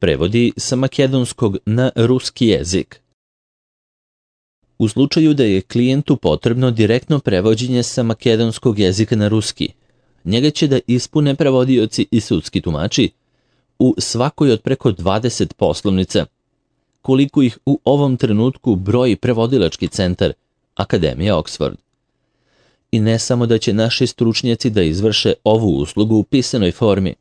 Prevodi sa makedonskog na ruski jezik. U slučaju da je klijentu potrebno direktno prevođenje sa makedonskog jezika na ruski, njega će da ispune prevodioci i sudski tumači u svakoj od preko 20 poslovnica, koliko ih u ovom trenutku broji prevodilački centar Akademija Oxford. I ne samo da će naši stručnjaci da izvrše ovu uslugu u pisanoj formi,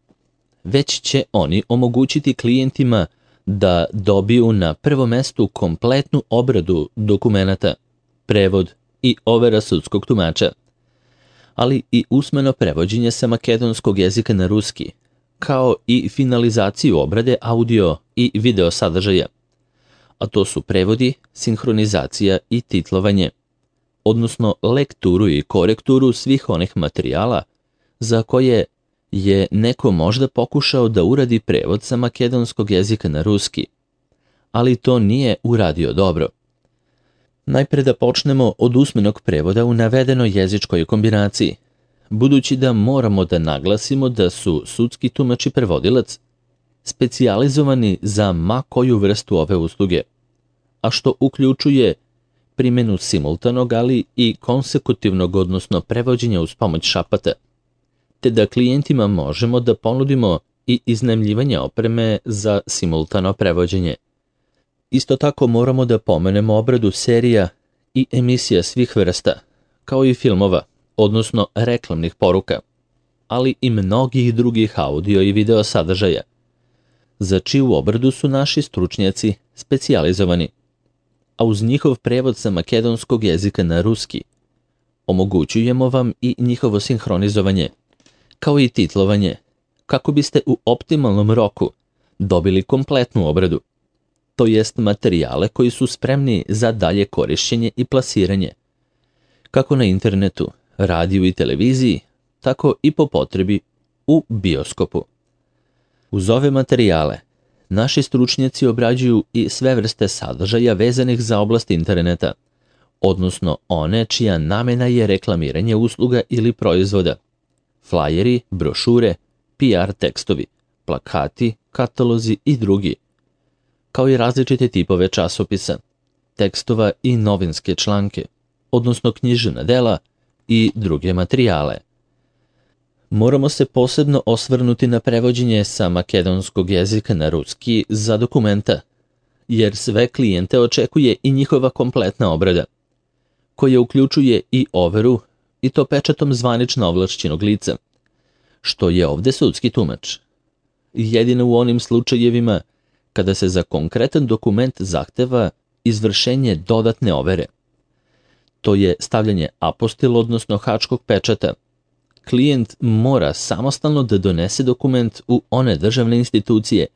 već će oni omogućiti klijentima da dobiju na prvom mestu kompletnu obradu dokumenata, prevod i overa sudskog tumača, ali i usmeno prevođenje sa makedonskog jezika na ruski, kao i finalizaciju obrade audio i video sadržaja, a to su prevodi, sinhronizacija i titlovanje, odnosno lekturu i korekturu svih onih materijala za koje je neko možda pokušao da uradi prevod sa makedonskog jezika na ruski, ali to nije uradio dobro. Najpre da počnemo od usmenog prevoda u navedenoj jezičkoj kombinaciji, budući da moramo da naglasimo da su sudski tumač i prevodilac specijalizovani za ma koju vrstu ove usluge, a što uključuje primjenu simultanog, ali i konsekutivnog, odnosno prevođenja uz pomoć šapata, te da klijentima možemo da ponudimo i iznajmljivanje opreme za simultano prevođenje. Isto tako moramo da pomenemo obradu serija i emisija svih vrsta, kao i filmova, odnosno reklamnih poruka, ali i mnogih drugih audio i video sadržaja, za čiju obradu su naši stručnjaci specijalizovani, a uz njihov prevod sa makedonskog jezika na ruski omogućujemo vam i njihovo sinhronizovanje, kao i titlovanje, kako biste u optimalnom roku dobili kompletnu obradu, to jest materijale koji su spremni za dalje korišćenje i plasiranje, kako na internetu, radiju i televiziji, tako i po potrebi u bioskopu. Uz ove materijale, naši stručnjaci obrađuju i sve vrste sadržaja vezanih za oblast interneta, odnosno one čija namena je reklamiranje usluga ili proizvoda, flajeri, brošure, PR tekstovi, plakati, katalozi i drugi, kao i različite tipove časopisa, tekstova i novinske članke, odnosno književna dela i druge materijale. Moramo se posebno osvrnuti na prevođenje sa makedonskog jezika na ruski za dokumenta, jer sve klijente očekuje i njihova kompletna obrada, koja uključuje i overu, i to pečatom zvanično ovlašćenog lica, što je ovde sudski tumač. Jedino u onim slučajevima kada se za konkretan dokument zahteva izvršenje dodatne overe. To je stavljanje apostil, odnosno hačkog pečata. Klijent mora samostalno da donese dokument u one državne institucije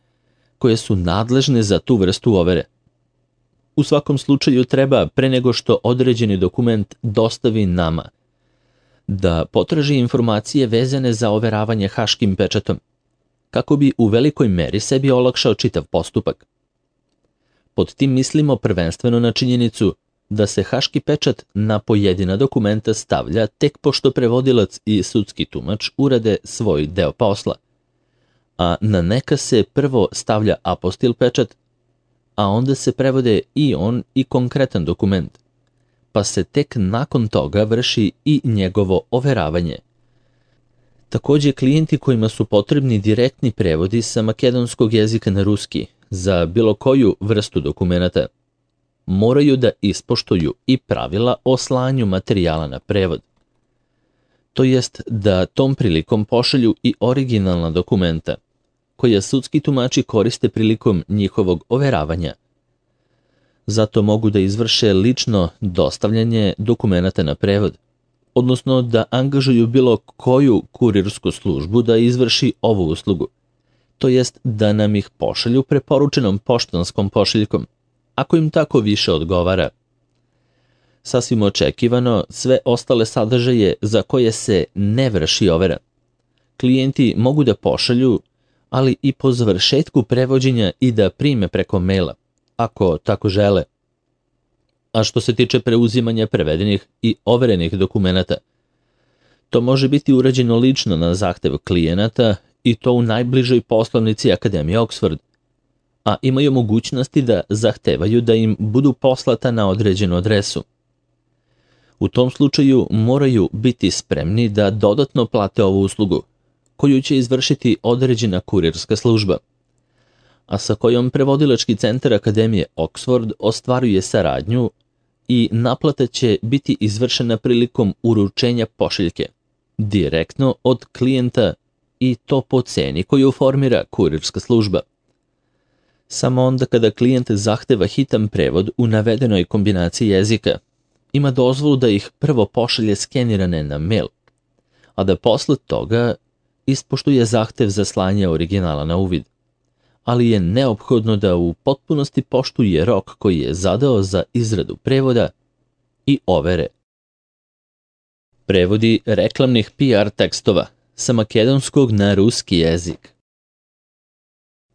koje su nadležne za tu vrstu overe. U svakom slučaju treba, pre nego što određeni dokument dostavi nama, da potraži informacije vezane za overavanje haškim pečatom, kako bi u velikoj meri sebi olakšao čitav postupak. Pod tim mislimo prvenstveno na činjenicu da se haški pečat na pojedina dokumenta stavlja tek pošto prevodilac i sudski tumač urade svoj deo posla, a na neka se prvo stavlja apostil pečat, a onda se prevode i on i konkretan dokument, pa se tek nakon toga vrši i njegovo overavanje. Takođe, klijenti kojima su potrebni direktni prevodi sa makedonskog jezika na ruski za bilo koju vrstu dokumenata moraju da ispoštuju i pravila o slanju materijala na prevod. To jest da tom prilikom pošalju i originalna dokumenta, koja sudski tumači koriste prilikom njihovog overavanja. Zato mogu da izvrše lično dostavljanje dokumenata na prevod, odnosno da angažuju bilo koju kurirsku službu da izvrši ovu uslugu, to jest da nam ih pošalju preporučenom poštanskom pošiljkom, ako im tako više odgovara. Sasvim očekivano, sve ostale sadržaje za koje se ne vrši overa, klijenti mogu da pošalju, ali i po završetku prevođenja i da prime preko maila, ako tako žele. A što se tiče preuzimanja prevedenih i overenih dokumenata, to može biti urađeno lično na zahtev klijenata i to u najbližoj poslovnici Akademije Oxford, a imaju mogućnosti da zahtevaju da im budu poslata na određenu adresu. U tom slučaju moraju biti spremni da dodatno plate ovu uslugu, koju će izvršiti određena kurirska služba, a sa kojom prevodilački centar Akademije Oxford ostvaruje saradnju i naplata će biti izvršena prilikom uručenja pošiljke, direktno od klijenta i to po ceni koju formira kurirska služba. Samo onda kada klijent zahteva hitan prevod u navedenoj kombinaciji jezika, ima dozvolu da ih prvo pošalje skenirane na mail, a da posle toga ispoštuje zahtev za slanje originala na uvid, ali je neophodno da u potpunosti poštuje rok koji je zadao za izradu prevoda i overe. Prevodi reklamnih PR tekstova sa makedonskog na ruski jezik.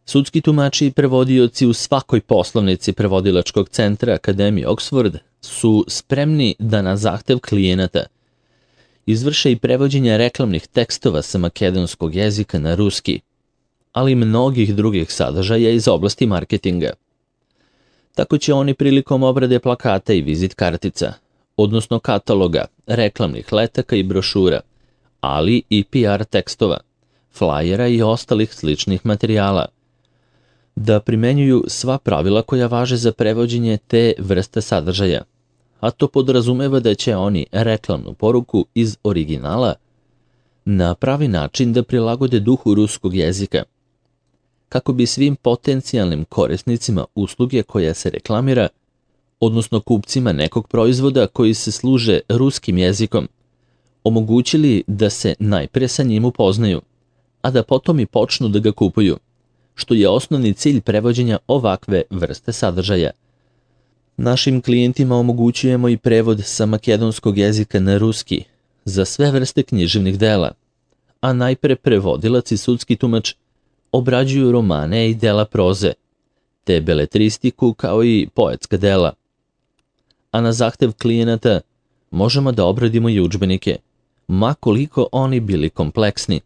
Sudski tumači i prevodioci u svakoj poslovnici prevodilačkog centra Akademije Oxford su spremni da na zahtev klijenata izvrše i prevođenje reklamnih tekstova sa makedonskog jezika na ruski, ali i mnogih drugih sadržaja iz oblasti marketinga. Tako će oni prilikom obrade plakata i vizit kartica, odnosno kataloga, reklamnih letaka i brošura, ali i PR tekstova, flajera i ostalih sličnih materijala, da primenjuju sva pravila koja važe za prevođenje te vrste sadržaja, a to podrazumeva da će oni reklamnu poruku iz originala na pravi način da prilagode duhu ruskog jezika, kako bi svim potencijalnim korisnicima usluge koja se reklamira, odnosno kupcima nekog proizvoda koji se služe ruskim jezikom, omogućili da se najpre sa njim upoznaju, a da potom i počnu da ga kupuju, što je osnovni cilj prevođenja ovakve vrste sadržaja. Našim klijentima omogućujemo i prevod sa makedonskog jezika na ruski za sve vrste književnih dela, a najpre prevodilac i sudski tumač obrađuju romane i dela proze, te beletristiku kao i poetska dela. A na zahtev klijenata možemo da obradimo i udžbenike, ma koliko oni bili kompleksni,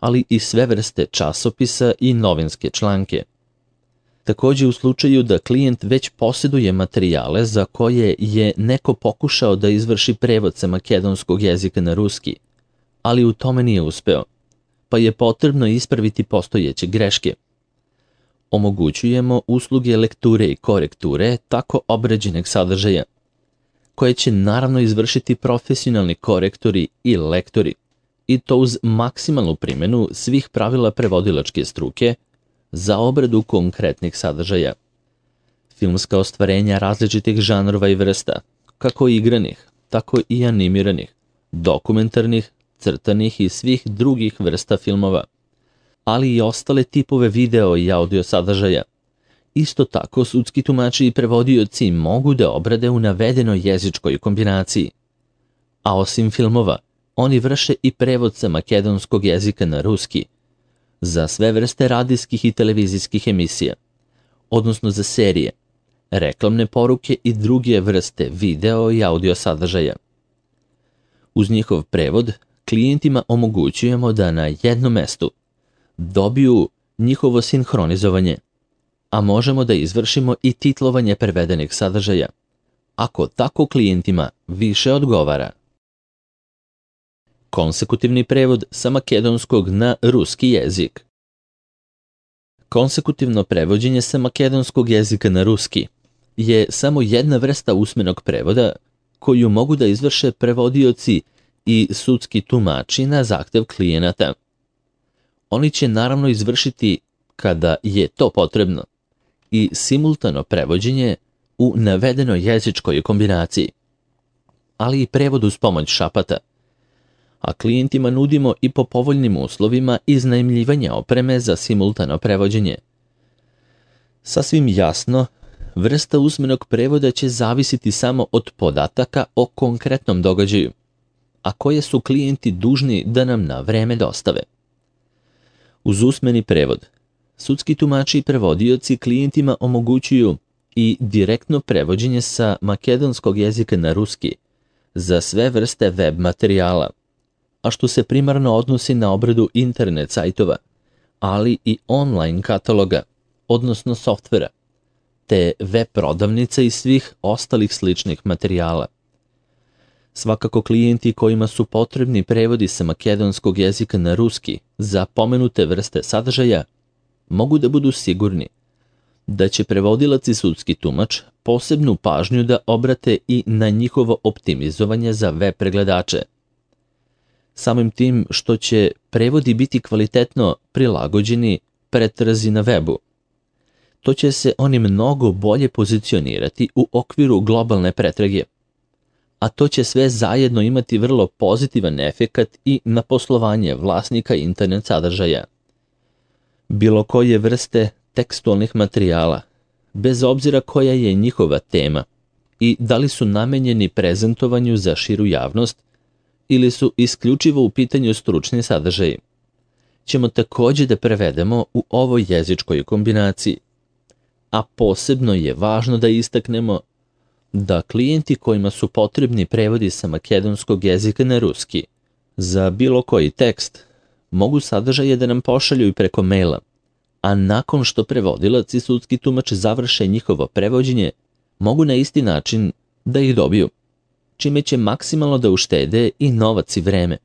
ali i sve vrste časopisa i novinske članke. Takođe u slučaju da klijent već posjeduje materijale za koje je neko pokušao da izvrši prevod sa makedonskog jezika na ruski, ali u tome nije uspeo, pa je potrebno ispraviti postojeće greške. Omogućujemo usluge lekture i korekture tako obrađenog sadržaja, koje će naravno izvršiti profesionalni korektori i lektori, i to uz maksimalnu primjenu svih pravila prevodilačke struke za obradu konkretnih sadržaja. Filmska ostvarenja različitih žanrova i vrsta, kako igranih, tako i animiranih, dokumentarnih, crtanih i svih drugih vrsta filmova, ali i ostale tipove video i audio sadržaja. Isto tako sudski tumači i prevodioci mogu da obrade u navedenoj jezičkoj kombinaciji. A osim filmova, oni vrše i prevod sa makedonskog jezika na ruski za sve vrste radijskih i televizijskih emisija, odnosno za serije, reklamne poruke i druge vrste video i audio sadržaja. Uz njihov prevod, klijentima omogućujemo da na jednom mestu dobiju njihovo sinhronizovanje, a možemo da izvršimo i titlovanje prevedenih sadržaja, ako tako klijentima više odgovara. Konsekutivni prevod sa makedonskog na ruski jezik. Konsekutivno prevođenje sa makedonskog jezika na ruski je samo jedna vrsta usmenog prevoda koju mogu da izvrše prevodioci i sudski tumači na zahtev klijenata. Oni će naravno izvršiti, kada je to potrebno, i simultano prevođenje u navedenoj jezičkoj kombinaciji, ali i prevod uz pomoć šapata, a klijentima nudimo i po povoljnim uslovima iznajmljivanja opreme za simultano prevođenje. Sasvim jasno, vrsta usmenog prevoda će zavisiti samo od podataka o konkretnom događaju, a koje su klijenti dužni da nam na vreme dostave. Uz usmeni prevod, sudski tumači i prevodioci klijentima omogućuju i direktno prevođenje sa makedonskog jezika na ruski za sve vrste web materijala, a što se primarno odnosi na obradu internet sajtova, ali i online kataloga, odnosno softvera, te web prodavnica i svih ostalih sličnih materijala. Svakako klijenti kojima su potrebni prevodi sa makedonskog jezika na ruski za pomenute vrste sadržaja mogu da budu sigurni da će prevodilac i sudski tumač posebnu pažnju da obrate i na njihovo optimizovanje za web pregledače. Samim tim što će prevodi biti kvalitetno prilagođeni pretrazi na webu, to će se oni mnogo bolje pozicionirati u okviru globalne pretrage, a to će sve zajedno imati vrlo pozitivan efekat i na poslovanje vlasnika internet sadržaja. Bilo koje vrste tekstualnih materijala, bez obzira koja je njihova tema i da li su namenjeni prezentovanju za širu javnost ili su isključivo u pitanju stručni sadržaji, ćemo također da prevedemo u ovoj jezičkoj kombinaciji. A posebno je važno da istaknemo da klijenti kojima su potrebni prevodi sa makedonskog jezika na ruski za bilo koji tekst mogu sadržaje da nam pošalju i preko maila, a nakon što prevodilac i sudski tumač završe njihovo prevođenje, mogu na isti način da ih dobiju, čime će maksimalno da uštede i novac i vreme.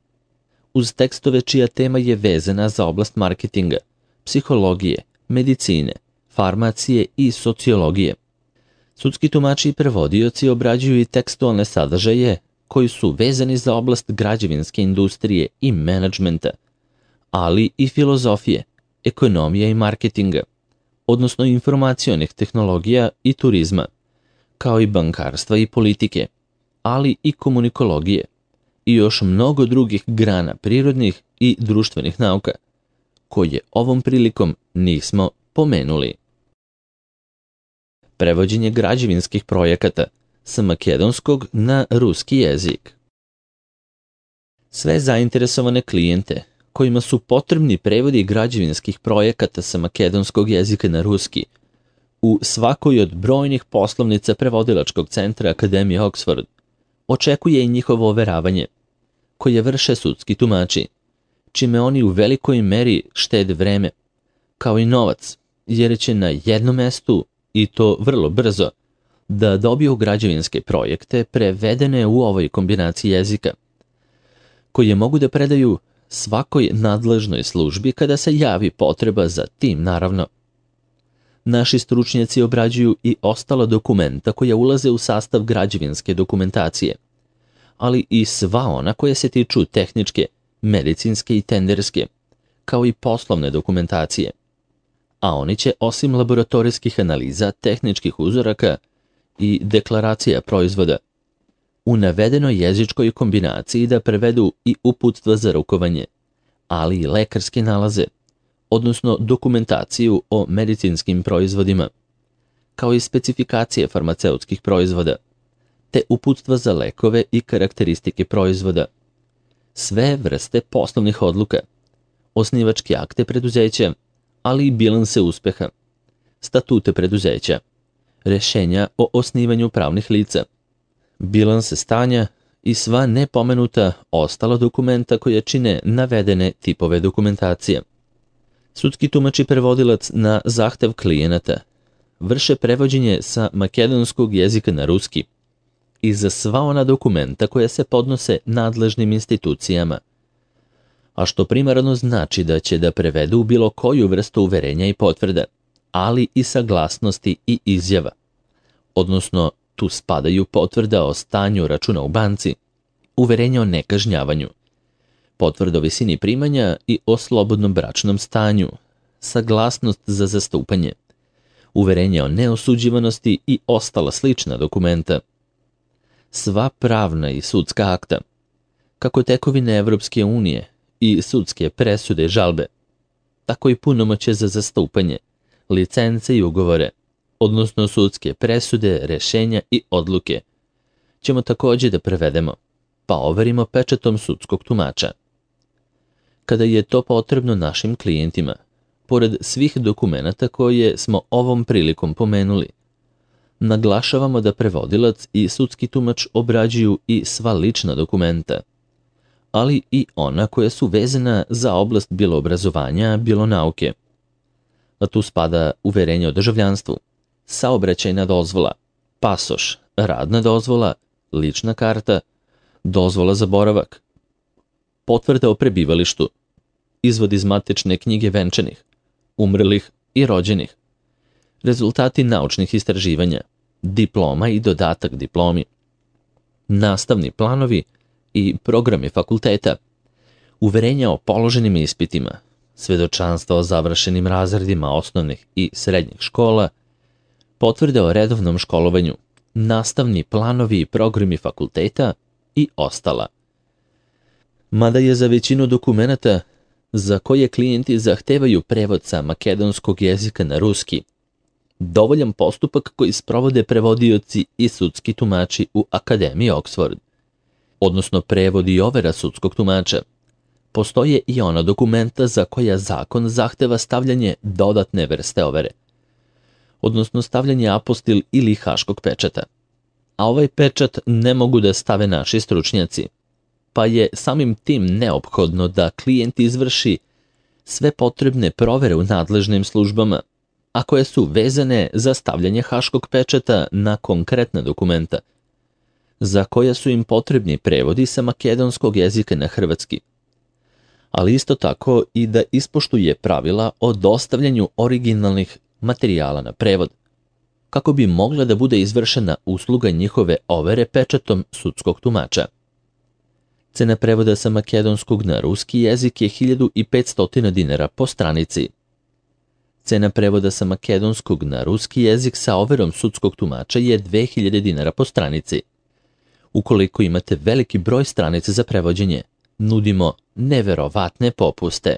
Uz tekstove čija tema je vezana za oblast marketinga, psihologije, medicine, farmacije i sociologije. Sudski tumači i prevodioci obrađuju i tekstualne sadržaje koji su vezani za oblast građevinske industrije i menadžmenta, ali i filozofije, ekonomije i marketinga, odnosno informacionih tehnologija i turizma, kao i bankarstva i politike, ali i komunikologije i još mnogo drugih grana prirodnih i društvenih nauka, koje ovom prilikom nismo pomenuli. Prevođenje građevinskih projekata sa makedonskog na ruski jezik. Sve zainteresovane klijente kojima su potrebni prevodi građevinskih projekata sa makedonskog jezika na ruski u svakoj od brojnih poslovnica prevodilačkog centra Akademije Oxford očekuje i njihovo overavanje, koje vrše sudski tumači, čime oni u velikoj meri štede vreme, kao i novac, jer će na jednom mestu, i to vrlo brzo, da dobiju građevinske projekte prevedene u ovoj kombinaciji jezika, koje mogu da predaju svakoj nadležnoj službi kada se javi potreba za tim, naravno. Naši stručnjaci obrađuju i ostala dokumenta koja ulaze u sastav građevinske dokumentacije, ali i sva ona koja se tiču tehničke, medicinske i tenderske, kao i poslovne dokumentacije. A oni će, osim laboratorijskih analiza, tehničkih uzoraka i deklaracija proizvoda, u navedenoj jezičkoj kombinaciji da prevedu i uputstva za rukovanje, ali i lekarske nalaze, odnosno dokumentaciju o medicinskim proizvodima, kao i specifikacije farmaceutskih proizvoda, te uputstva za lekove i karakteristike proizvoda, sve vrste poslovnih odluka, osnivačke akte preduzeća, ali i bilanse uspeha, statute preduzeća, rešenja o osnivanju pravnih lica, bilanse stanja i sva nepomenuta ostala dokumenta koja čine navedene tipove dokumentacije. Sudski tumač i prevodilac na zahtev klijenata vrše prevođenje sa makedonskog jezika na ruski i za sva ona dokumenta koja se podnose nadležnim institucijama, a što primarno znači da će da prevedu bilo koju vrstu uverenja i potvrda, ali i saglasnosti i izjava, odnosno tu spadaju potvrda o stanju računa u banci, uverenje o nekažnjavanju, potvrda o visini primanja i o slobodnom bračnom stanju, saglasnost za zastupanje, uverenje o neosuđivanosti i ostala slična dokumenta. Sva pravna i sudska akta, kako tekovine Evropske unije i sudske presude i žalbe, tako i punomoćje za zastupanje, licence i ugovore, odnosno sudske presude, rešenja i odluke, ćemo također da prevedemo, pa overimo pečatom sudskog tumača. Kada je to potrebno našim klijentima, pored svih dokumenata koje smo ovom prilikom pomenuli, naglašavamo da prevodilac i sudski tumač obrađuju i sva lična dokumenta, ali i ona koja su vezana za oblast bilo obrazovanja, bilo nauke. a tu spada uverenje o državljanstvu, saobraćajna dozvola, pasoš, radna dozvola, lična karta, dozvola za boravak, potvrda o prebivalištu, izvod iz matične knjige venčanih, umrlih i rođenih, rezultati naučnih istraživanja, diploma i dodatak diplomi, nastavni planovi i programi fakulteta, uverenja o položenim ispitima, svedočanstva o završenim razredima osnovnih i srednjih škola, potvrde o redovnom školovanju, nastavni planovi i programi fakulteta i ostala. Mada je za većinu dokumenata za koje klijenti zahtevaju prevod sa makedonskog jezika na ruski dovoljan postupak koji sprovode prevodioci i sudski tumači u Akademiji Oxford, odnosno prevod i overa sudskog tumača. Postoje i ona dokumenta za koja zakon zahteva stavljanje dodatne vrste overe, odnosno stavljanje apostil ili haškog pečata. A ovaj pečat ne mogu da stave naši stručnjaci, pa je samim tim neophodno da klijent izvrši sve potrebne provere u nadležnim službama, a koje su vezane za stavljanje haškog pečata na konkretna dokumenta, za koja su im potrebni prevodi sa makedonskog jezika na hrvatski, ali isto tako i da ispoštuje pravila o dostavljanju originalnih materijala na prevod, kako bi mogla da bude izvršena usluga njihove overe pečatom sudskog tumača. Cena prevoda sa makedonskog na ruski jezik je 1500 dinara po stranici. Cena prevoda sa makedonskog na ruski jezik sa overom sudskog tumača je 2000 dinara po stranici. Ukoliko imate veliki broj stranica za prevođenje, nudimo neverovatne popuste.